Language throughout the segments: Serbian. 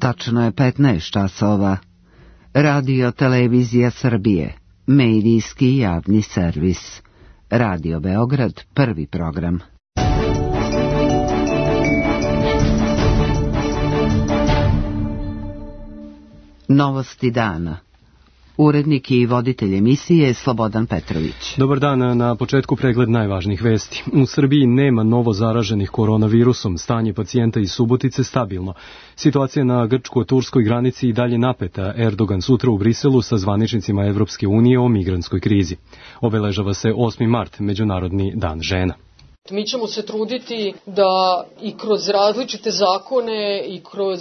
Tačno je 15 časova. Radio Televizija Srbije, medijski javni servis. Radio Beograd, prvi program. Novosti dana. Urednik i voditelj emisije Slobodan Petrović. Dobar dan, na početku pregled najvažnijih vesti. U Srbiji nema novo zaraženih koronavirusom, stanje pacijenta iz Subotice stabilno. Situacija na grčko-turskoj granici i dalje napeta. Erdogan sutra u Briselu sa zvaničnicima Evropske unije o migrantskoj krizi. Obeležava se 8. mart, Međunarodni dan žena. Mi ćemo se truditi da i kroz različite zakone i kroz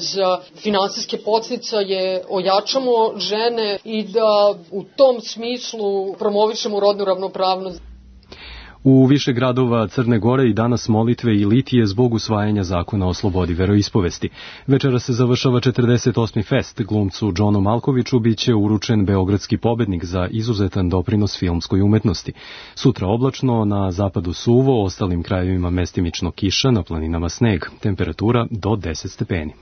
finansijske podsticaje ojačamo žene i da u tom smislu promovišemo rodnu ravnopravnost. U više gradova Crne Gore i danas molitve i litije zbog usvajanja zakona o slobodi veroispovesti. Večera se završava 48. fest. Glumcu Džonu Malkoviću biće uručen beogradski pobednik za izuzetan doprinos filmskoj umetnosti. Sutra oblačno, na zapadu suvo, ostalim krajevima mestimično kiša, na planinama sneg. Temperatura do 10 stepeni.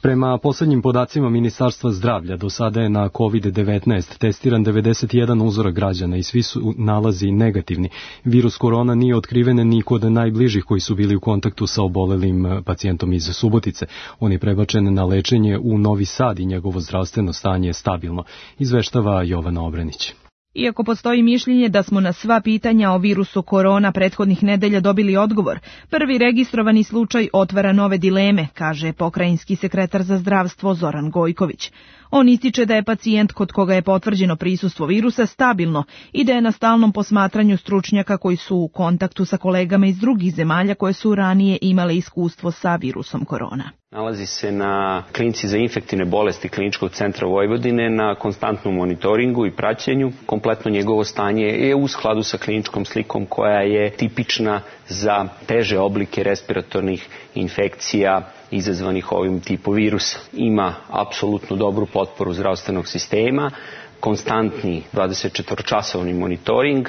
Prema poslednjim podacima Ministarstva zdravlja, do sada je na COVID-19 testiran 91 uzorak građana i svi su nalazi negativni. Virus korona nije otkriven ni kod najbližih koji su bili u kontaktu sa obolelim pacijentom iz Subotice. On je prebačen na lečenje u Novi Sad i njegovo zdravstveno stanje je stabilno, izveštava Jovana Obrenić. Iako postoji mišljenje da smo na sva pitanja o virusu korona prethodnih nedelja dobili odgovor, prvi registrovani slučaj otvara nove dileme, kaže pokrajinski sekretar za zdravstvo Zoran Gojković. On ističe da je pacijent kod koga je potvrđeno prisustvo virusa stabilno i da je na stalnom posmatranju stručnjaka koji su u kontaktu sa kolegama iz drugih zemalja koje su ranije imale iskustvo sa virusom korona. Nalazi se na klinici za infektivne bolesti Kliničkog centra Vojvodine na konstantnom monitoringu i praćenju. Kompletno njegovo stanje je u skladu sa kliničkom slikom koja je tipična za teže oblike respiratornih infekcija izazvanih ovim tipom virusa. Ima apsolutno dobru potporu zdravstvenog sistema, konstantni 24-časovni monitoring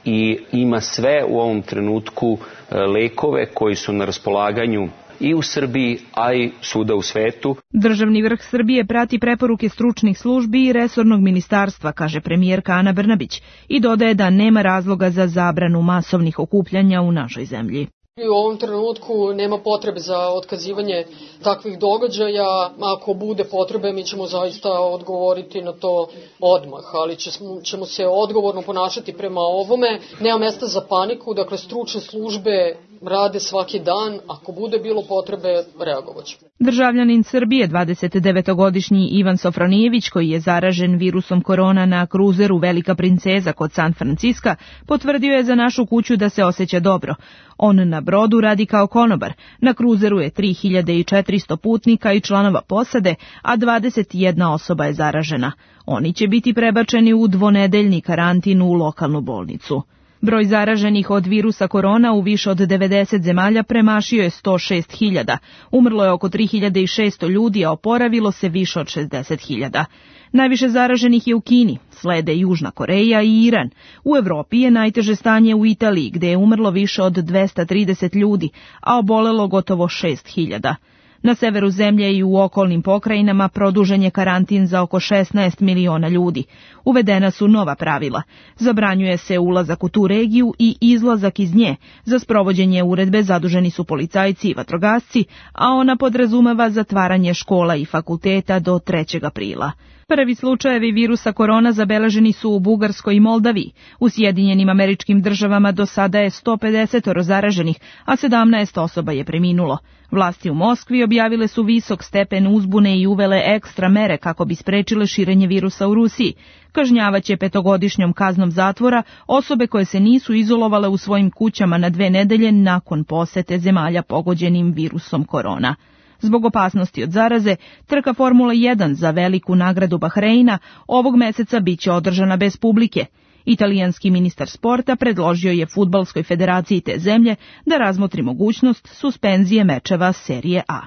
i ima sve u ovom trenutku lekove koji su na raspolaganju i u Srbiji, a i svuda u svetu. Državni vrh Srbije prati preporuke stručnih službi i resornog ministarstva, kaže premijerka Ana Brnabić, i dodaje da nema razloga za zabranu masovnih okupljanja u našoj zemlji. U ovom trenutku nema potrebe za otkazivanje takvih događaja. Ako bude potrebe, mi ćemo zaista odgovoriti na to odmah, ali ćemo se odgovorno ponašati prema ovome. Nema mesta za paniku, dakle stručne službe rade svaki dan, ako bude bilo potrebe, reagovaćemo. Državljanin Srbije, 29-godišnji Ivan Sofronijević, koji je zaražen virusom korona na kruzeru Velika princeza kod San Franciska, potvrdio je za našu kuću da se osjeća dobro. On na brodu radi kao konobar. Na kruzeru je 3400 putnika i članova posade, a 21 osoba je zaražena. Oni će biti prebačeni u dvonedeljni karantin u lokalnu bolnicu. Broj zaraženih od virusa korona u više od 90 zemalja premašio je 106.000. Umrlo je oko 3.600 ljudi, a oporavilo se više od 60.000. Najviše zaraženih je u Kini, slede Južna Koreja i Iran. U Evropi je najteže stanje u Italiji, gde je umrlo više od 230 ljudi, a obolelo gotovo 6.000. Na severu zemlje i u okolnim pokrajinama produžen je karantin za oko 16 miliona ljudi. Uvedena su nova pravila. Zabranjuje se ulazak u tu regiju i izlazak iz nje. Za sprovođenje uredbe zaduženi su policajci i vatrogasci, a ona podrazumeva zatvaranje škola i fakulteta do 3. aprila. Prvi slučajevi virusa korona zabeleženi su u Bugarskoj i Moldaviji. U Sjedinjenim Američkim Državama do sada je 150 zaraženih, a 17 osoba je preminulo. Vlasti u Moskvi objavile su visok stepen uzbune i uvele ekstra mere kako bi sprečile širenje virusa u Rusiji. Kažnjavaće 5-godišnjom kaznom zatvora osobe koje se nisu izolovale u svojim kućama na 2 nedelje nakon posete zemalja pogođenim virusom korona. Zbog opasnosti od zaraze, trka Formula 1 za veliku nagradu Bahreina ovog meseca biće održana bez publike. Italijanski ministar sporta predložio je Fudbalskoj federaciji te zemlje da razmotri mogućnost suspenzije mečeva serije A.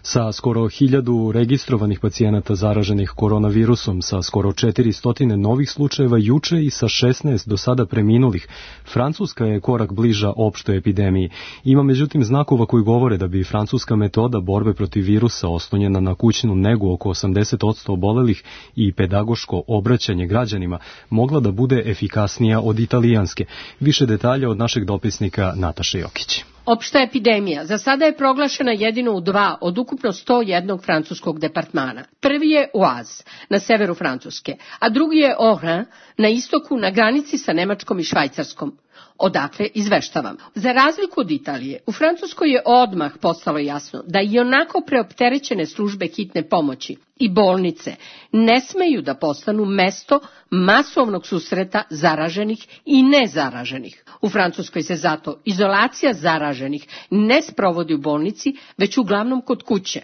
Sa skoro 1000 registrovanih pacijenata zaraženih koronavirusom, sa skoro 400 novih slučajeva juče i sa 16 do sada preminulih, Francuska je korak bliža opštoj epidemiji. Ima međutim znakova koji govore da bi francuska metoda borbe protiv virusa oslonjena na kućnu negu oko 80% obolelih i pedagoško obraćanje građanima mogla da bude efikasnija od italijanske. Više detalja od našeg dopisnika Nataše Jokić. Opšta epidemija za sada je proglašena jedino u 2 od ukupno 101 francuskog departmana. Prvi je Oise na severu Francuske, a drugi je Haut-Rhin na istoku na granici sa Nemačkom i Švajcarskom. Odakle izveštavam. Za razliku od Italije, u Francuskoj je odmah postalo jasno da i onako preopterećene službe hitne pomoći i bolnice ne smeju da postanu mesto masovnog susreta zaraženih i nezaraženih. U Francuskoj se zato izolacija zaraženih ne sprovodi u bolnici, već uglavnom kod kuće.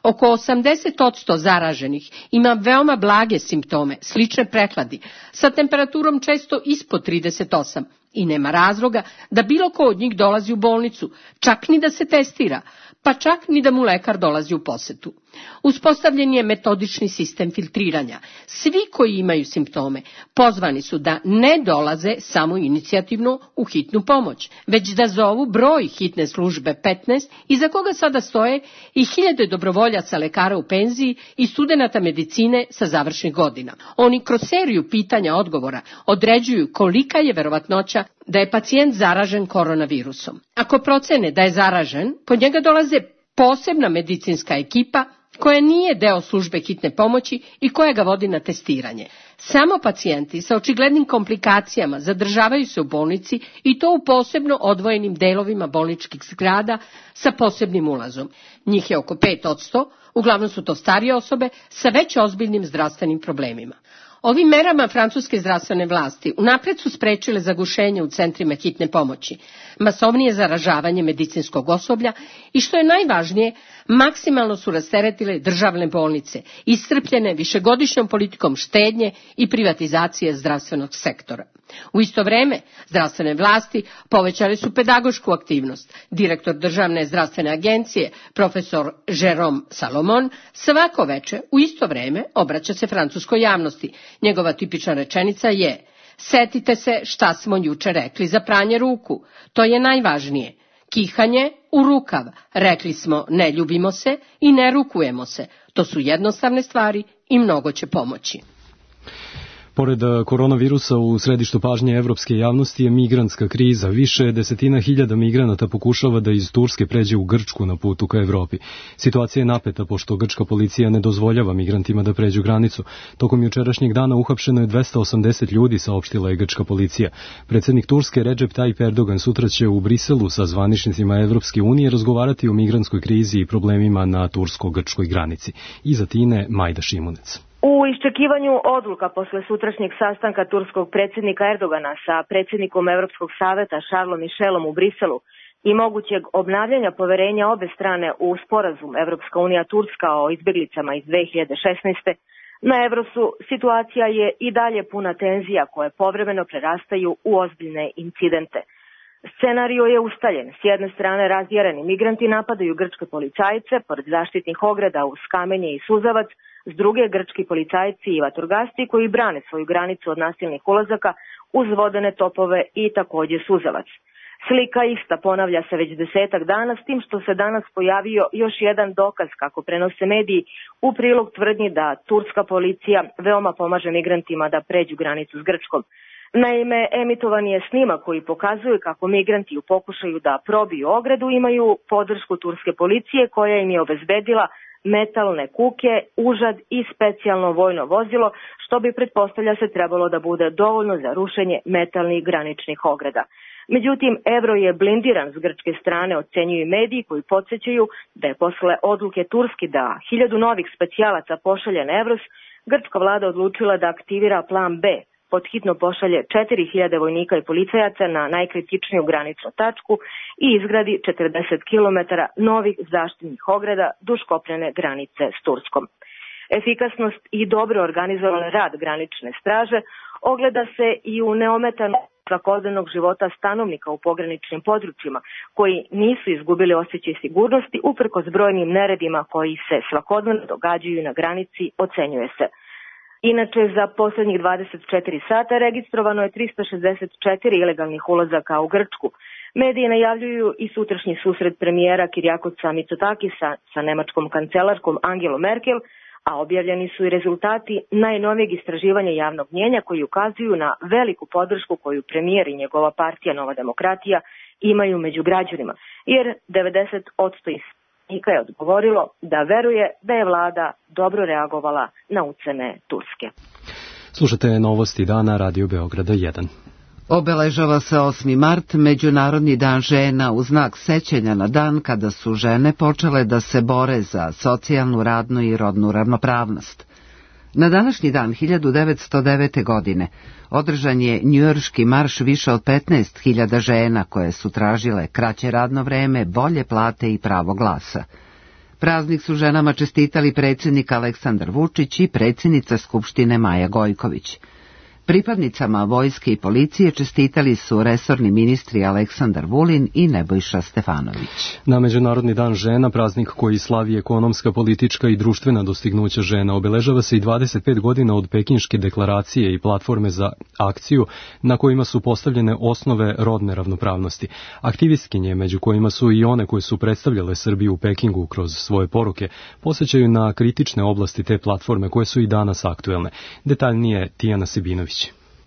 Oko 80% zaraženih ima veoma blage simptome, slične prehladi, sa temperaturom često ispod 38 i nema razloga da bilo ko od njih dolazi u bolnicu, čak ni da se testira, pa čak ni da mu lekar dolazi u posetu. Uspostavljen je metodični sistem filtriranja. Svi koji imaju simptome pozvani su da ne dolaze samo inicijativno u hitnu pomoć, već da zovu broj hitne službe 15 iza koga sada stoje i 1000 dobrovoljaca lekara u penziji i studenata medicine sa završnih godina. Oni kroz seriju pitanja odgovora određuju kolika je verovatnoća da je pacijent zaražen koronavirusom. Ako procene da je zaražen, pod njega dolaze posebna medicinska ekipa koja nije deo službe hitne pomoći i koja ga vodi na testiranje. Samo pacijenti sa očiglednim komplikacijama zadržavaju se u bolnici i to u posebno odvojenim delovima bolničkih zgrada sa posebnim ulazom. Njih je oko 5%, uglavnom su to starije osobe sa već ozbiljnim zdravstvenim problemima. Ovim merama francuske zdravstvene vlasti unapred su sprečile zagušenje u centrima hitne pomoći, masovnije zaražavanje medicinskog osoblja i što je najvažnije, maksimalno su rasteretile državne bolnice, iscrpljene višegodišnjom politikom štednje i privatizacije zdravstvenog sektora. U isto vreme, zdravstvene vlasti povećale su pedagošku aktivnost. Direktor državne zdravstvene agencije, profesor Jérôme Salomon, svako veče u isto vreme obraća se francuskoj javnosti. Njegova tipična rečenica je: setite se šta smo juče rekli za pranje ruku, to je najvažnije. Kihanje u rukav, rekli smo ne ljubimo se i ne rukujemo se, to su jednostavne stvari i mnogo će pomoći. Pored koronavirusa u središtu pažnje evropske javnosti je migrantska kriza. Više desetina hiljada migranata pokušava da iz Turske pređe u Grčku na putu ka Evropi. Situacija je napeta pošto grčka policija ne dozvoljava migrantima da pređu granicu. Tokom jučerašnjeg dana uhapšeno je 280 ljudi, saopštila je grčka policija. Predsjednik Turske Recep Tayyip Erdogan sutra će u Briselu sa zvaničnicima Evropske unije razgovarati o migrantskoj krizi i problemima na tursko-grčkoj granici. Iz Atine Majda Šimunec. U iščekivanju odluka posle sutrašnjeg sastanka turskog predsjednika Erdogana sa predsjednikom Europskog saveta Charlesom Michelom u Briselu i mogućeg obnavljanja poverenja obe strane u sporazum Evropska unija-Turska o izbjeglicama iz 2016. Na Evrosu situacija je i dalje puna tenzija koje povremeno prerastaju u ozbiljne incidente. Scenario je ustaljen. S jedne strane razjareni migranti napadaju grčke policajce pored zaštitnih ograda uz kamenje i suzavac, s druge grčki policajci i vatrogasci koji brane svoju granicu od nasilnih ulazaka uz vodene topove i također suzavac. Slika ista ponavlja se već 10 dana, s tim što se danas pojavio još jedan dokaz, kako prenose mediji, u prilog tvrdnji da turska policija veoma pomaže migrantima da pređu granicu s Grčkom. Naime, emitovan je snimak koji pokazuje kako migranti u pokušaju da probiju ogradu imaju podršku turske policije koja im je obezbedila metalne kuke, užad i specijalno vojno vozilo, što bi pretpostavlja se trebalo da bude dovoljno za rušenje metalnih graničnih ograda. Međutim, Evro je blindiran s grčke strane, ocenjuju mediji koji podsjećaju da je posle odluke Turski da 1000 novih specijalaca pošalje na Evros, grčka vlada odlučila da aktivira plan B, podhitno pošalje 4000 vojnika i policajaca na najkritičniju graničnu tačku i izgradi 40 km novih zaštitnih ograda duž kopnene granice s Turskom. Efikasnost i dobro organizovan rad granične straže ogleda se i u neometanom svakodnevnog života stanovnika u pograničnim područjima, koji nisu izgubili osjećaj sigurnosti uprkos brojnim neredima koji se svakodnevno događaju na granici, ocenjuje se. Inače, za poslednjih 24 sata registrovano je 364 ilegalnih ulazaka u Grčku. Mediji najavljuju i sutrašnji susret premijera Kirjakosa Mitsotakisa sa nemačkom kancelarkom Angelom Merkel, a objavljeni su i rezultati najnovijeg istraživanja javnog mnjenja koji ukazuju na veliku podršku koju premijer i njegova partija Nova demokratija imaju među građanima, jer 90% ispitanika je odgovorilo da veruje da je vlada dobro reagovala na ucene Turske. Slušate novosti dana Radio Beograda 1. Obeležava se 8. mart, Međunarodni dan žena, u znak sećanja na dan kada su žene počele da se bore za socijalnu, radnu i rodnu ravnopravnost. Na današnji dan 1909. godine održan je njujorški marš više od 15.000 žena koje su tražile kraće radno vreme, bolje plate i pravo glasa. Praznik su ženama čestitali predsjednik Aleksandar Vučić i predsjednica Skupštine Maja Gojković. Pripadnicama vojske i policije čestitali su resorni ministri Aleksandar Vulin i Nebojša Stefanović. Na Međunarodni dan žena, praznik koji slavi ekonomska, politička i društvena dostignuća žena, obeležava se i 25 godina od Pekinške deklaracije i platforme za akciju na kojima su postavljene osnove rodne ravnopravnosti. Aktivistkinje, među kojima su i one koje su predstavljale Srbiju u Pekingu kroz svoje poruke, posjećaju na kritične oblasti te platforme koje su i danas aktuelne. Detaljnije Tijana Sebinović.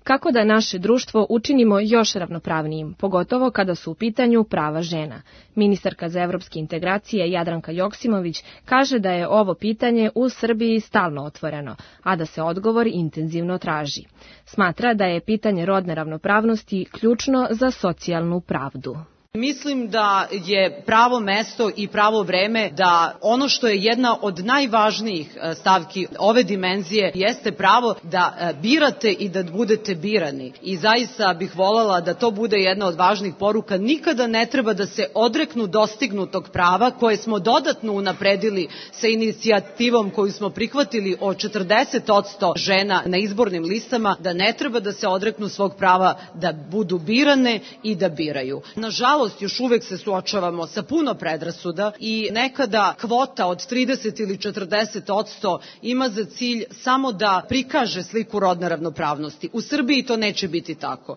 Kako da naše društvo učinimo još ravnopravnijim, pogotovo kada su u pitanju prava žena? Ministarka za evropske integracije Jadranka Joksimović kaže da je ovo pitanje u Srbiji stalno otvoreno, a da se odgovor intenzivno traži. Smatra da je pitanje rodne ravnopravnosti ključno za socijalnu pravdu. Mislim da je pravo mesto i pravo vreme da ono što je jedna od najvažnijih stavki ove dimenzije jeste pravo da birate i da budete birani. I zaista bih voljela da to bude jedna od važnih poruka. Nikada ne treba da se odreknu dostignutog prava koje smo dodatno unapredili sa inicijativom koju smo prihvatili o 40% žena na izbornim listama, da ne treba da se odreknu svog prava da budu birane i da biraju. Nažalost, još uvek se suočavamo sa puno predrasuda i nekada kvota od 30 ili 40% ima za cilj samo da prikaže sliku rodne ravnopravnosti. U Srbiji to neće biti tako.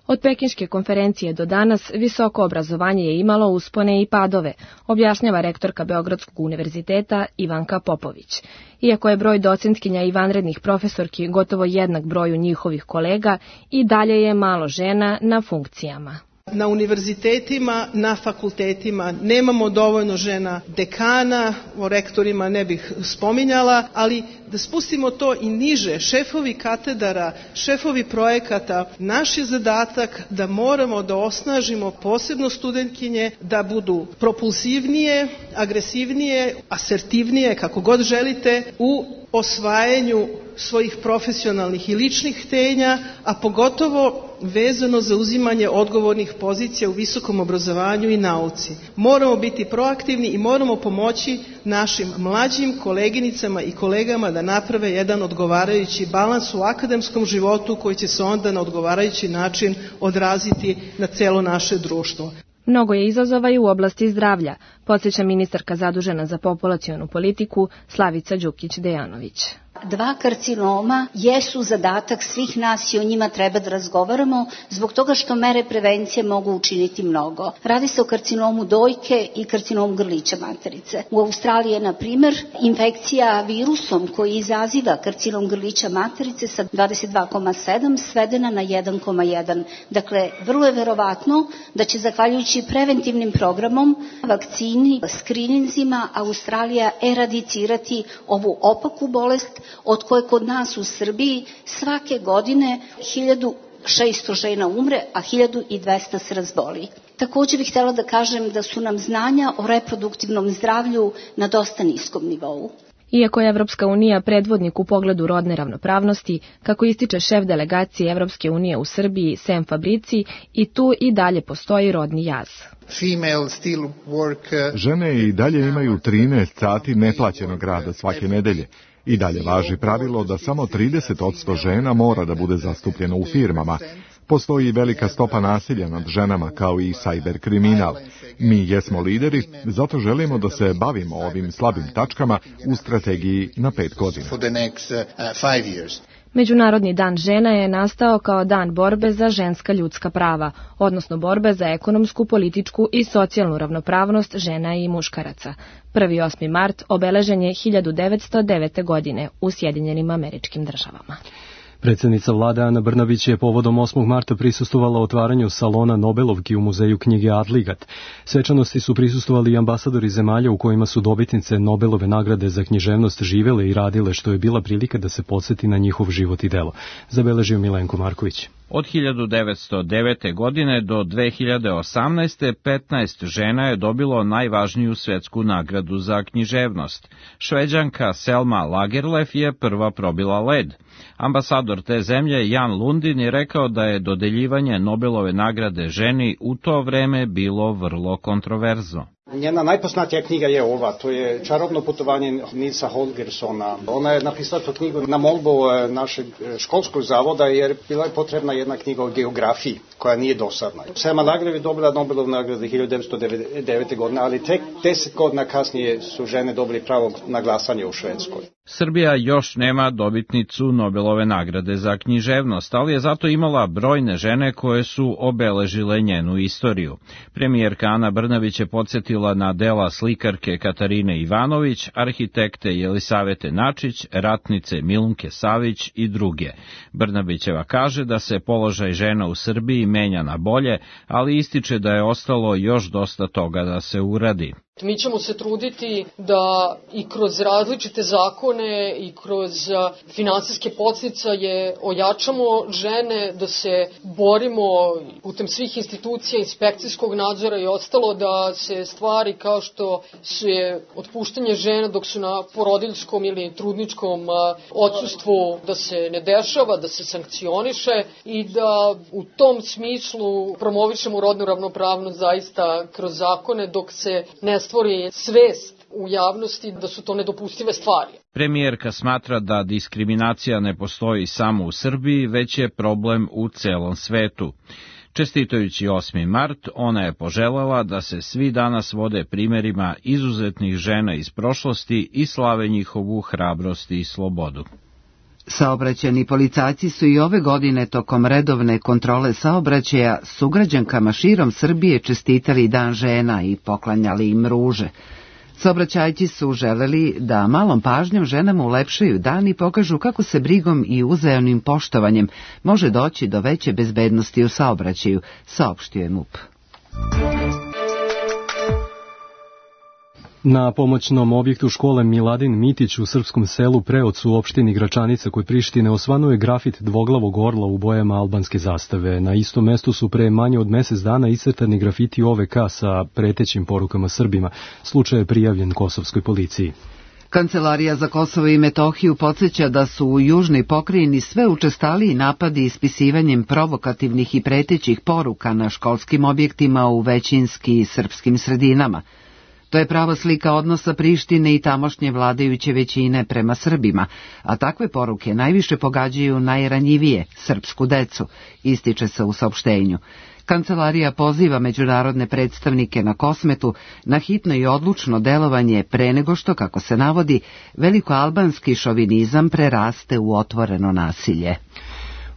Od Pekinške konferencije do danas visoko obrazovanje je imalo uspone i padove, objašnjava rektorka Beogradskog univerziteta Ivanka Popović. Iako je broj docentkinja i vanrednih profesorki gotovo jednak broju njihovih kolega, i dalje je malo žena na funkcijama. Na univerzitetima, na fakultetima nemamo dovoljno žena dekana, o rektorima ne bih spominjala, ali da spustimo to i niže, šefovi katedara, šefovi projekata, naš je zadatak da moramo da osnažimo posebno studentkinje, da budu propulsivnije, agresivnije, asertivnije, kako god želite, u osvajanju svojih profesionalnih i ličnih htenja, a pogotovo vezano za uzimanje odgovornih pozicija u visokom obrazovanju i nauci. Moramo biti proaktivni i moramo pomoći našim mlađim koleginicama i kolegama da naprave jedan odgovarajući balans u akademskom životu koji će se onda na odgovarajući način odraziti na celo naše društvo. Mnogo je izazova i u oblasti zdravlja, podsjeća ministarka zadužena za populacionu politiku Slavica Đukić-Dejanović. 2 karcinoma jesu zadatak svih nas i o njima treba da razgovaramo zbog toga što mere prevencije mogu učiniti mnogo. Radi se o karcinomu dojke i karcinomu grlića materice. U Australiji je, na primer, infekcija virusom koji izaziva karcinom grlića materice sa 22,7 svedena na 1,1. Dakle, vrlo je verovatno da će, zahvaljujući preventivnim programom, vakcini, skrininzima, Australija eradicirati ovu opaku bolest od koje kod nas u Srbiji svake godine 1600 žena umre, a 1200 se razboli. Također bih htjela da kažem da su nam znanja o reproduktivnom zdravlju na dosta niskom nivou. Iako je Evropska unija predvodnik u pogledu rodne ravnopravnosti, kako ističe šef delegacije Evropske unije u Srbiji Sem Fabrici, i tu i dalje postoji rodni jaz. Žene i dalje imaju 13 sati neplaćenog rada svake nedelje. I dalje važi pravilo da samo 30% žena mora da bude zastupljeno u firmama. Postoji velika stopa nasilja nad ženama, kao i sajber kriminal. Mi jesmo lideri, zato želimo da se bavimo ovim slabim tačkama u strategiji na 5 godina. Međunarodni dan žena je nastao kao dan borbe za ženska ljudska prava, odnosno borbe za ekonomsku, političku i socijalnu ravnopravnost žena i muškaraca. 8. mart obeležen je 1909. godine u Sjedinjenim Američkim Državama. Predsjednica vlade Ana Brnabić je povodom 8. marta prisustvovala otvaranju salona Nobelovki u muzeju knjige Adligat. Svečanosti su prisustvovali i ambasadori zemalja u kojima su dobitnice Nobelove nagrade za književnost živele i radile, što je bila prilika da se podsjeti na njihov život i delo. Zabeležio Milenko Marković. Od 1909. godine do 2018. 15 žena je dobilo najvažniju svetsku nagradu za književnost. Šveđanka Selma Lagerlöf je prva probila led. Ambasador te zemlje Jan Lundin je rekao da je dodeljivanje Nobelove nagrade ženi u to vreme bilo vrlo kontroverzno. Njena najpoznatija knjiga je ova, to je Čarobno putovanje Nilsa Holgersona. Ona je napisala tu knjigu na molbu našeg školskog zavoda jer bila je potrebna jedna knjiga o geografiji koja nije dosadna. Selma Lagerlöf je dobila Nobelovu nagradu 1909. godine, ali tek 10 godina kasnije su žene dobili pravo na glasanje u Švedskoj. Srbija još nema dobitnicu Nobelove nagrade za književnost, ali je zato imala brojne žene koje su obeležile njenu istoriju. Premijerka Ana Brnabić je podsjetila na dela slikarke Katarine Ivanović, arhitekte Jelisavete Načić, ratnice Milunke Savić i druge. Brnabićeva kaže da se položaj žena u Srbiji menja na bolje, ali ističe da je ostalo još dosta toga da se uradi. Mi ćemo se truditi da i kroz različite zakone i kroz finansijske podsticaje ojačamo žene, da se borimo putem svih institucija, inspekcijskog nadzora i ostalo, da se stvari kao što je otpuštanje žena dok su na porodiljskom ili trudničkom odsustvu, da se ne dešava, da se sankcioniše i da u tom smislu promovišemo rodnu ravnopravnost zaista kroz zakone dok se ne stvori svest u javnosti da su to nedopustive stvari. Premijerka smatra da diskriminacija ne postoji samo u Srbiji, već je problem u celom svetu. Čestitajući 8. mart, ona je poželjela da se svi danas vode primjerima izuzetnih žena iz prošlosti i slave njihovu hrabrost i slobodu. Saobraćajni policajci su i ove godine tokom redovne kontrole saobraćaja sugrađankama širom Srbije čestitali Dan žena i poklanjali im ruže. Saobraćajci su želeli da malom pažnjom ženama ulepšaju dan i pokažu kako se brigom i uzajamnim poštovanjem može doći do veće bezbednosti u saobraćaju, saopštio je MUP. Na pomoćnom objektu škole Miladin Mitić u srpskom selu Preocu u opštini Gračanica kod Prištine osvanuo je grafit dvoglavog orla u bojama albanske zastave. Na istom mestu su pre manje od mesec dana iscrtani grafiti OVK sa pretećim porukama Srbima. Slučaj je prijavljen kosovskoj policiji. Kancelarija za Kosovo i Metohiju podsjeća da su u južnoj pokrajini sve učestaliji napadi ispisivanjem provokativnih i pretećih poruka na školskim objektima u većinski srpskim sredinama. To je prava slika odnosa Prištine i tamošnje vladajuće većine prema Srbima, a takve poruke najviše pogađaju najranjivije, srpsku decu, ističe se u saopštenju. Kancelarija poziva međunarodne predstavnike na Kosmetu na hitno i odlučno delovanje pre nego što, kako se navodi, velikoalbanski šovinizam preraste u otvoreno nasilje.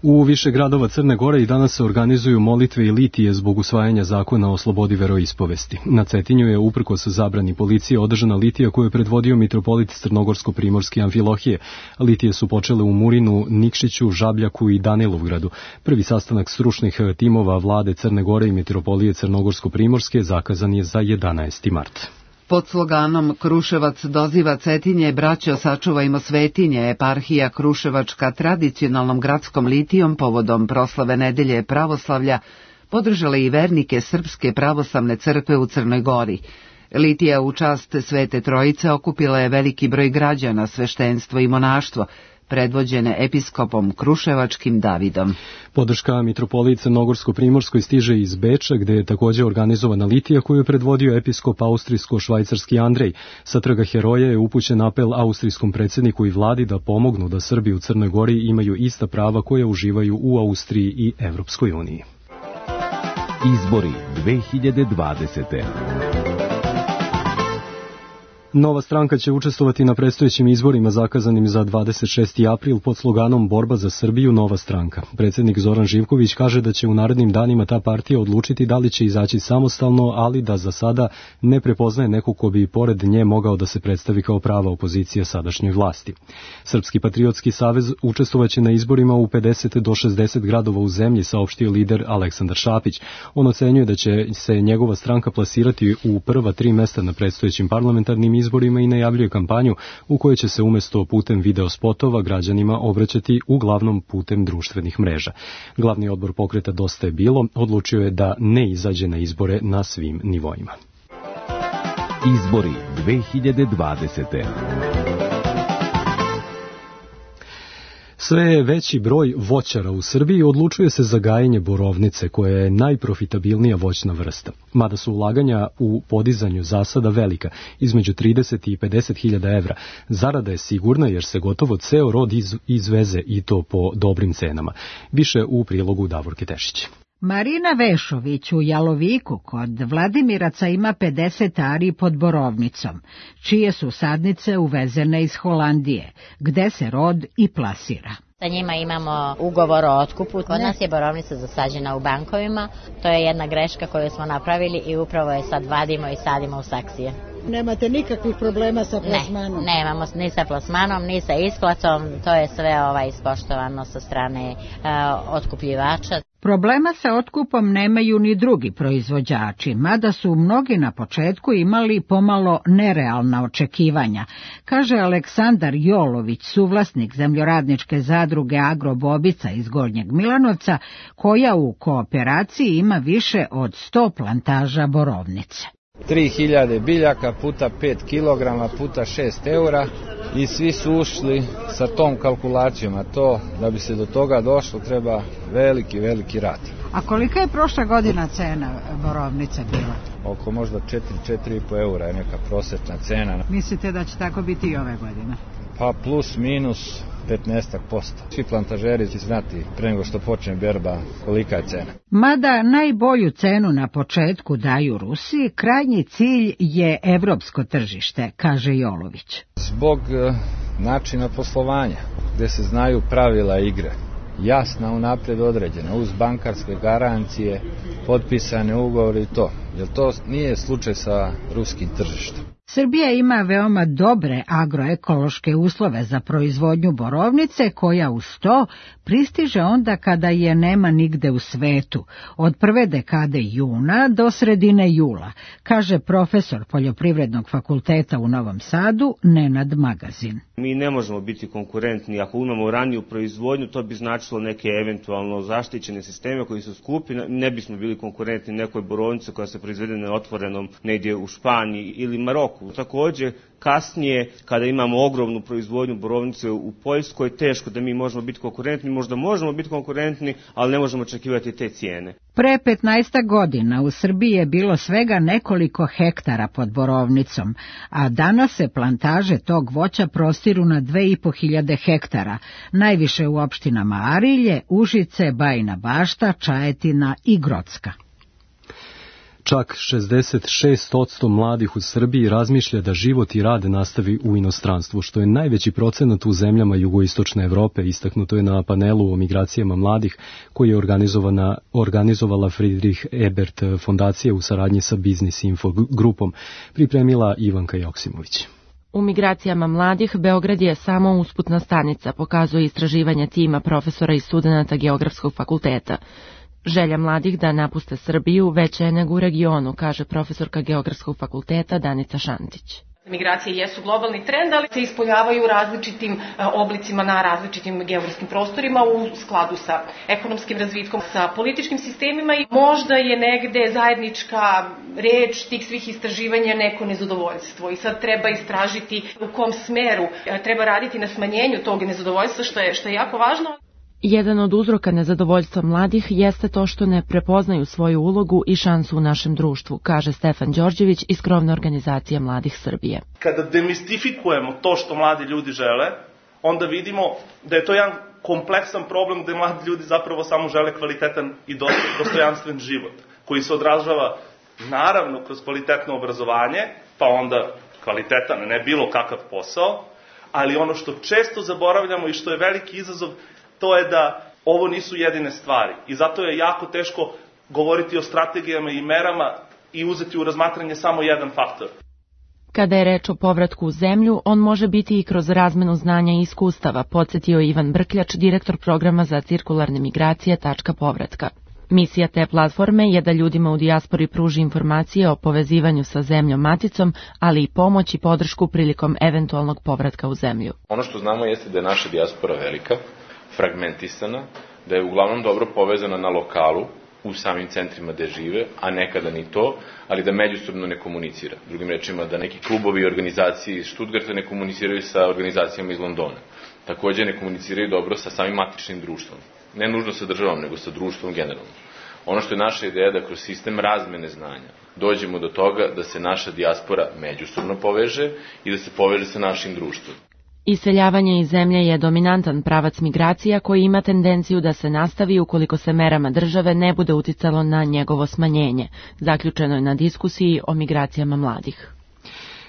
U više gradova Crne Gore i danas se organizuju molitve i litije zbog usvajanja zakona o slobodi veroispovesti. Na Cetinju je uprkos zabrani policije održana litija koju je predvodio mitropolit Crnogorsko-primorski Amfilohije. Litije su počele u Murinu, Nikšiću, Žabljaku i Danilovgradu. Prvi sastanak stručnih timova vlade Crne Gore i mitropolije Crnogorsko-primorske zakazan je za 11. mart. Pod sloganom Kruševac doziva Cetinje, braćo sačuvajmo svetinje, eparhija Kruševačka tradicionalnom gradskom litijom povodom proslave nedelje pravoslavlja podržala i vernike Srpske pravoslavne crkve u Crnoj Gori. Litija u čast Svete Trojice okupila je veliki broj građana, sveštenstvo i monaštvo, predvođene episkopom Kruševačkim Davidom. Podrška mitropoliji Crnogorsko-Primorskoj stiže iz Beča, gde je takođe organizovana litija koju je predvodio episkop austrijsko-švajcarski Andrej. Sa Trga Heroja je upućen apel austrijskom predsjedniku i vladi da pomognu da Srbi u Crnoj Gori imaju ista prava koja uživaju u Austriji i Evropskoj uniji. Izbori 2020. Nova stranka će učestvovati na predstojećim izborima zakazanim za 26. april pod sloganom Borba za Srbiju, Nova stranka. Predsjednik Zoran Živković kaže da će u narednim danima ta partija odlučiti da li će izaći samostalno, ali da za sada ne prepoznaje nekog ko bi pored nje mogao da se predstavi kao prava opozicija sadašnjoj vlasti. Srpski patriotski savez učestvovaće na izborima u 50 do 60 gradova u zemlji, saopštio lider Aleksandar Šapić. On ocenjuje da će se njegova stranka plasirati u prva 3 mesta na predstojećim parlamentarnim izborima i najavljuje kampanju u kojoj će se umesto putem videospotova građanima obraćati uglavnom putem društvenih mreža. Glavni odbor pokreta Dosta je bilo odlučio je da ne izađe na izbore na svim nivoima. Izbori 2020. Sve je veći broj voćara u Srbiji odlučuje se za gajenje borovnice, koja je najprofitabilnija voćna vrsta. Mada su ulaganja u podizanju zasada velika, između 30 i 50 hiljada evra. Zarada je sigurna jer se gotovo ceo rod izveze i to po dobrim cenama. Više u prilogu Davorke Tešić. Marina Vešović u Jaloviku kod Vladimiraca ima 50 ari pod borovnicom, čije su sadnice uvezene iz Holandije, gde se rod i plasira. Sa njima imamo ugovor o otkupu. Kod nas je borovnica zasađena u bankovima. To je jedna greška koju smo napravili i upravo je sad vadimo i sadimo u saksije. Nemate nikakvih problema sa plasmanom? Ne, nemamo ni sa plasmanom, ni sa isplatom. To je sve ispoštovano sa strane otkupljivača. Problema sa otkupom nemaju ni drugi proizvođači, mada su mnogi na početku imali pomalo nerealna očekivanja, kaže Aleksandar Jolović, suvlasnik zemljoradničke zadruge Agrobobica iz Gornjeg Milanovca, koja u kooperaciji ima više od 100 plantaža borovnice. 3000 biljaka puta 5 kg puta 6 eura i svi su ušli sa tom kalkulacijom, a to da bi se do toga došlo treba veliki rad. A kolika je prošla godina cena borovnice bila? Oko možda 4,5 eura je neka prosječna cena. Mislite da će tako biti i ove godine? Pa plus minus 15%. Svi plantažeri će znati pre nego što počne berba kolika je cena. Mada najbolju cenu na početku daju Rusiji, krajnji cilj je evropsko tržište, kaže Jolović. Zbog načina poslovanja, gde se znaju pravila igre, jasna unapred određena, uz bankarske garancije, potpisane ugovori i to. Jer to nije slučaj sa ruskim tržištem. Srbija ima veoma dobre agroekološke uslove za proizvodnju borovnice, koja uz to pristiže onda kada je nema nigde u svetu, od prve dekade juna do sredine jula, kaže profesor Poljoprivrednog fakulteta u Novom Sadu Nenad Magazin. Mi ne možemo biti konkurentni. Ako imamo raniju proizvodnju, to bi značilo neke eventualno zaštićene sisteme koji su skupi, ne bismo bili konkurentni nekoj borovnici koja se proizvede na otvorenom negdje u Španiji ili Maroku. Takođe, kasnije, kada imamo ogromnu proizvodnju borovnice u Poljskoj, teško da mi možemo biti konkurentni, možda možemo biti konkurentni, ali ne možemo očekivati te cijene. Pre 15 godina u Srbiji je bilo svega nekoliko hektara pod borovnicom, a danas se plantaže tog voća prostiru na 2500 hektara, najviše u opštinama Arilje, Užice, Bajina Bašta, Čajetina i Grocka. Čak 66% mladih u Srbiji razmišlja da život i rad nastavi u inostranstvu, što je najveći procenat u zemljama jugoistočne Evrope. Istaknuto je na panelu o migracijama mladih koji je organizovala Friedrich Ebert fondacija u saradnji sa Business Info grupom, pripremila Ivanka Joksimović. U migracijama mladih Beograd je samo usputna stanica, pokazuje istraživanje tima profesora i studenata Geografskog fakulteta. Želja mladih da napuste Srbiju veća je nego u regionu, kaže profesorka Geografskog fakulteta Danica Šantić. Migracije jesu globalni trend, ali se ispoljavaju različitim oblicima na različitim geografskim prostorima u skladu sa ekonomskim razvitkom, sa političkim sistemima i možda je negde zajednička reč tih svih istraživanja neko nezadovoljstvo i sad treba istražiti u kom smeru treba raditi na smanjenju tog nezadovoljstva što je jako važno. Jedan od uzroka nezadovoljstva mladih jeste to što ne prepoznaju svoju ulogu i šansu u našem društvu, kaže Stefan Đorđević iz krovne organizacije Mladih Srbije. Kada demistifikujemo to što mladi ljudi žele, onda vidimo da je to jedan kompleksan problem gde mladi ljudi zapravo samo žele kvalitetan i dostojanstven život, koji se odražava naravno kroz kvalitetno obrazovanje, pa onda kvalitetan, ne bilo kakav posao, ali ono što često zaboravljamo i što je veliki izazov, to je da ovo nisu jedine stvari i zato je jako teško govoriti o strategijama i merama i uzeti u razmatranje samo jedan faktor. Kada je reč o povratku u zemlju, on može biti i kroz razmenu znanja i iskustava, podsjetio Ivan Brkljač, direktor programa za cirkularne migracije Tačka povratka. Misija te platforme je da ljudima u dijaspori pruži informacije o povezivanju sa zemljom maticom, ali i pomoć i podršku prilikom eventualnog povratka u zemlju. Ono što znamo jeste da je naša dijaspora velika, fragmentisana, da je uglavnom dobro povezana na lokalu, u samim centrima gde žive, a nekada ni to, ali da međusobno ne komunicira. Drugim rečima, da neki klubovi i organizacije iz Stuttgarta ne komuniciraju sa organizacijama iz Londona. Takođe ne komuniciraju dobro sa samim matičnim društvom. Ne nužno sa državom, nego sa društvom generalno. Ono što je naša ideja da kroz sistem razmene znanja dođemo do toga da se naša dijaspora međusobno poveže i da se poveže sa našim društvom. Iseljavanje iz zemlje je dominantan pravac migracija koji ima tendenciju da se nastavi ukoliko se merama države ne bude uticalo na njegovo smanjenje. Zaključeno je na diskusiji o migracijama mladih.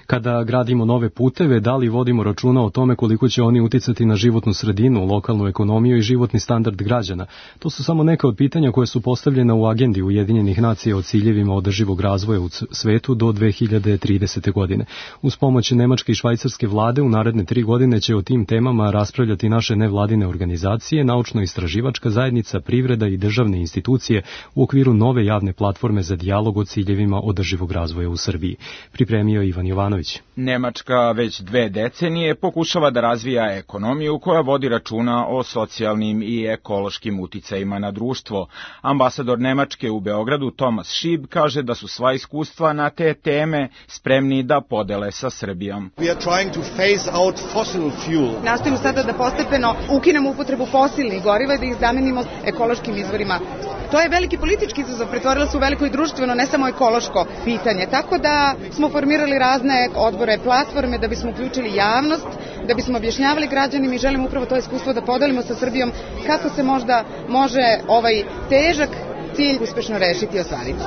Kada gradimo nove puteve, da li vodimo računa o tome koliko će oni uticati na životnu sredinu, lokalnu ekonomiju i životni standard građana? To su samo neka od pitanja koje su postavljena u agendi Ujedinjenih nacija o ciljevima održivog razvoja u svetu do 2030. godine. Uz pomoć nemačke i švajcarske vlade u naredne 3 godine će o tim temama raspravljati naše nevladine organizacije, naučno-istraživačka zajednica, privreda i državne institucije u okviru nove javne platforme za dijalog o ciljevima održivog razvoja u Srbiji. Pripremio Ivan Jovanović. Nemačka već 2 decenije pokušava da razvija ekonomiju koja vodi računa o socijalnim i ekološkim uticajima na društvo. Ambasador Nemačke u Beogradu Thomas Schieb kaže da su sva iskustva na te teme spremni da podele sa Srbijom. Nastojimo sada da postepeno ukinemo upotrebu fosilnih goriva i da ih zamenimo ekološkim izvorima. To je veliki politički izazov, pretvorilo se u veliko i društveno, ne samo ekološko pitanje. Tako da smo formirali razne odbore, platforme da bismo uključili javnost, da bismo objašnjavali građanima i želimo upravo to iskustvo da podelimo sa Srbijom kako se možda može ovaj težak cilj uspešno rešiti i ostvariti.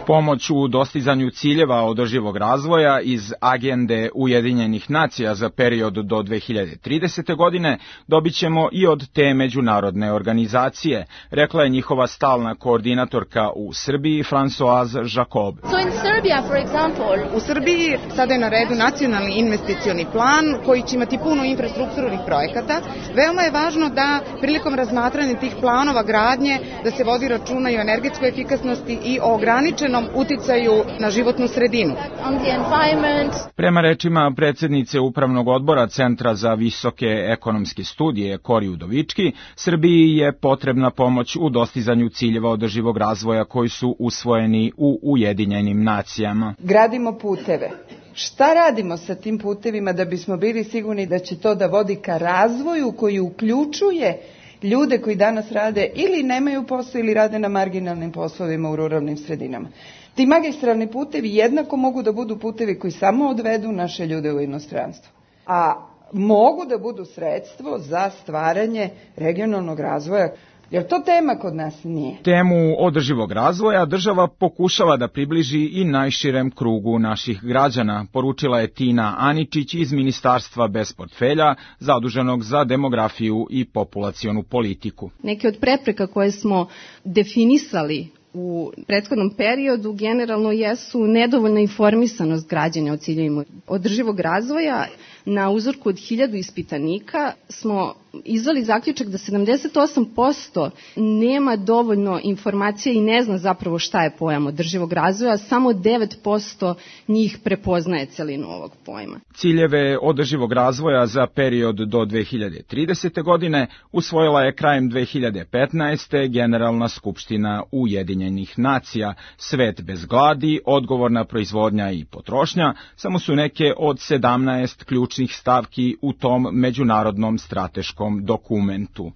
Pomoć u dostizanju ciljeva održivog razvoja iz agende Ujedinjenih nacija za period do 2030. godine dobit ćemo i od te međunarodne organizacije, rekla je njihova stalna koordinatorka u Srbiji Françoise Jacob. U Srbiji sada je na redu nacionalni investicioni plan koji će imati puno infrastrukturnih projekata. Veoma je važno da prilikom razmatranja tih planova gradnje da se vodi računa i o energetskoj efikasnosti i o ograničenom uticaju na životnu sredinu. Prema rečima predsjednice Upravnog odbora Centra za visoke ekonomske studije Kori Udovički, Srbiji je potrebna pomoć u dostizanju ciljeva održivog razvoja koji su usvojeni u Ujedinjenim nacijama. Gradimo puteve. Šta radimo sa tim putevima da bismo bili sigurni da će to da vodi ka razvoju koji uključuje ljude koji danas rade ili nemaju posao ili rade na marginalnim poslovima u ruralnim sredinama. Ti magistralni putevi jednako mogu da budu putevi koji samo odvedu naše ljude u inostranstvo, a mogu da budu sredstvo za stvaranje regionalnog razvoja. Jer to tema kod nas nije. Temu održivog razvoja država pokušava da približi i najširem krugu naših građana, poručila je Tina Aničić iz Ministarstva bez portfelja, zaduženog za demografiju i populacionu politiku. Neke od prepreka koje smo definisali u prethodnom periodu generalno jesu nedovoljna informisanost građana o ciljevima održivog razvoja na uzorku od 1000 ispitanika smo izveli zaključak da 78% nema dovoljno informacija i ne zna zapravo šta je pojam održivog razvoja, samo 9% njih prepoznaje celinu ovog pojma. Ciljeve održivog razvoja za period do 2030. godine usvojila je krajem 2015. Generalna skupština Ujedinjenih nacija. Svet bez gladi, odgovorna proizvodnja i potrošnja samo su neke od 17 ključnih stavki u tom međunarodnom strateškom dokumentu.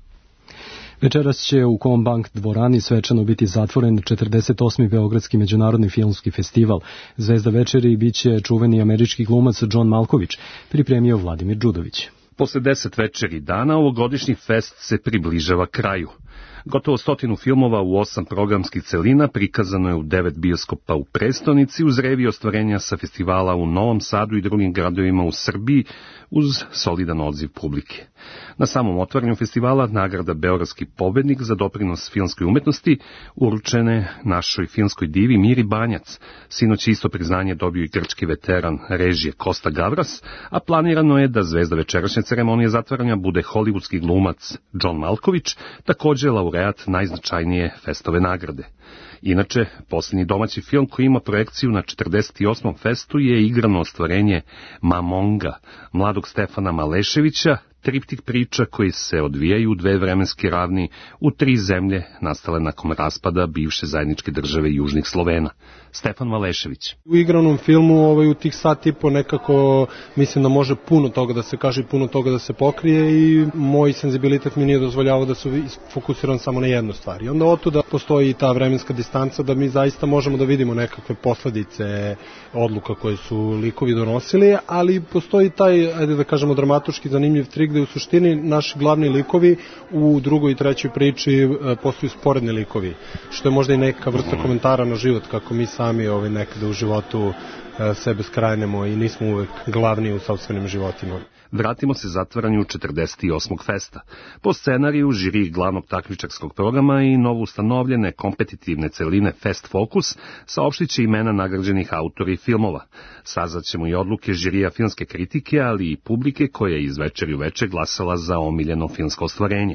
Večeras će u Kombank dvorani svečano biti zatvoren 48. Beogradski međunarodni filmski festival. Zvezda večeri biće čuveni američki glumac John Malkovich, pripremio Vladimir Đudović. Posle 10 večeri dana ovogodišnji fest se približava kraju. Gotovo 100 filmova u 8 programskih celina prikazano je u 9 bioskopa u prestonici uz revi ostvarenja sa festivala u Novom Sadu i drugim gradovima u Srbiji uz solidan odziv publike. Na samom otvaranju festivala nagrada Beogradski pobednik za doprinos filmskoj umetnosti uručene našoj filmskoj divi Miri Banjac. Sinoć isto priznanje dobio i grčki veteran režije Kosta Gavras, a planirano je da zvezda večerašnje ceremonije zatvaranja bude hollywoodski glumac John Malkovich, takođe laureat najznačajnije festove nagrade. Inače, posljednji domaći film koji ima projekciju na 48. festu je igrano ostvarenje Mamonga, mladog Stefana Maleševića, triptik priča koji se odvijaju u 2 vremenske ravni u 3 zemlje nastale nakon raspada bivše zajedničke države Južnih Slovena. Stefan Malešević. U igranom filmu u tih sat i po nekako mislim da može puno toga da se kaže i puno toga da se pokrije i moj senzibilitet mi nije dozvoljavao da se fokusiram samo na jednu stvar. I onda otuda postoji ta vremenska distanca da mi zaista možemo da vidimo nekakve posledice odluka koje su likovi donosili, ali postoji taj, ajde da kažemo, dramatuški zanimljiv trik gde u suštini naši glavni likovi u drugoj i trećoj priči postaju sporedni likovi, što je možda i neka vrsta komentara na život, kako mi sami nekada u životu sebe skrajnemo i nismo uvek glavni u sopstvenim životima. Vratimo se zatvaranju 48. festa. Po scenariju, žiri glavnog takmičarskog programa i novo ustanovljene kompetitivne celine Fest Focus saopštit će imena nagrađenih autori filmova. Saznaćemo i odluke žirija filmske kritike, ali i publike koja je iz večeri u večer glasala za omiljeno filmsko ostvarenje.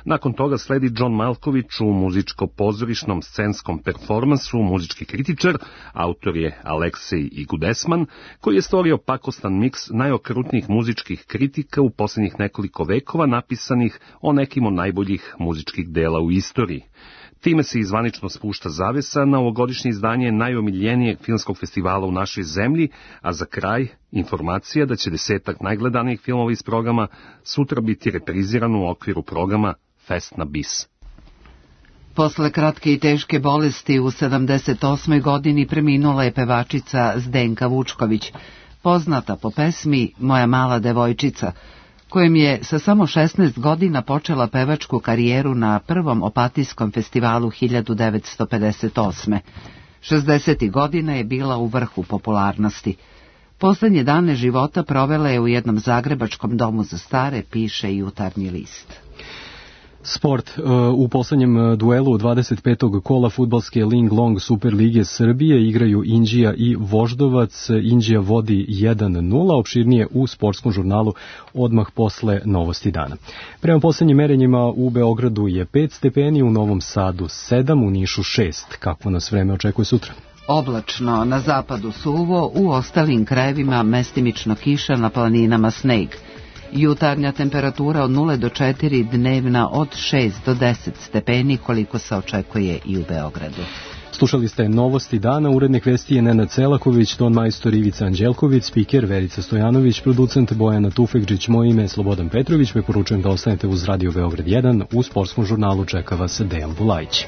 Nakon toga sledi John Malkovich u muzičko-pozorišnom scenskom performansu muzički kritičar, autor je Aleksej Igudesman, koji je stvorio pakostan miks najokrutnijih muzičkih kritika u posljednjih nekoliko vekova napisanih o nekim od najboljih muzičkih dela u istoriji. Time se izvanično spušta zavesa na ovogodišnje izdanje najomiljenijeg filmskog festivala u našoj zemlji, a za kraj informacija da će 10 najgledanijih filmova iz programa sutra biti reprizirano u okviru programa Fest na bis. Posle kratke i teške bolesti u 78. godini preminula je pevačica Zdenka Vučković, poznata po pesmi Moja mala devojčica, kojim je sa samo 16 godina počela pevačku karijeru na prvom Opatijskom festivalu 1958. 60. godina je bila u vrhu popularnosti. Poslednje dane života provela je u jednom zagrebačkom domu za stare, piše Jutarnji list. Sport. U poslednjem duelu 25. kola fudbalske Ling Long Super Lige Srbije igraju Inđija i Voždovac. Inđija vodi 1-0, opširnije u sportskom žurnalu odmah posle novosti dana. Prema poslednjim merenjima u Beogradu je 5 stepeni, u Novom Sadu 7, u Nišu 6. Kakvo nas vreme očekuje sutra? Oblačno, na zapadu suvo, u ostalim krajevima mestimično kiša, na planinama sneg. Jutarnja temperatura od 0 do 4, dnevna od 6 do 10 stepeni, koliko se očekuje i u Beogradu. Slušali ste novosti dana, urednik vesti je Nenad Celaković, ton majstor Ivica Anđelković, spiker Verica Stojanović, producent Bojana Tufekđić, moje ime je Slobodan Petrović, preporučujem da ostanete uz Radio Beograd 1, u sportskom žurnalu čeka vas Dejan Bulajić.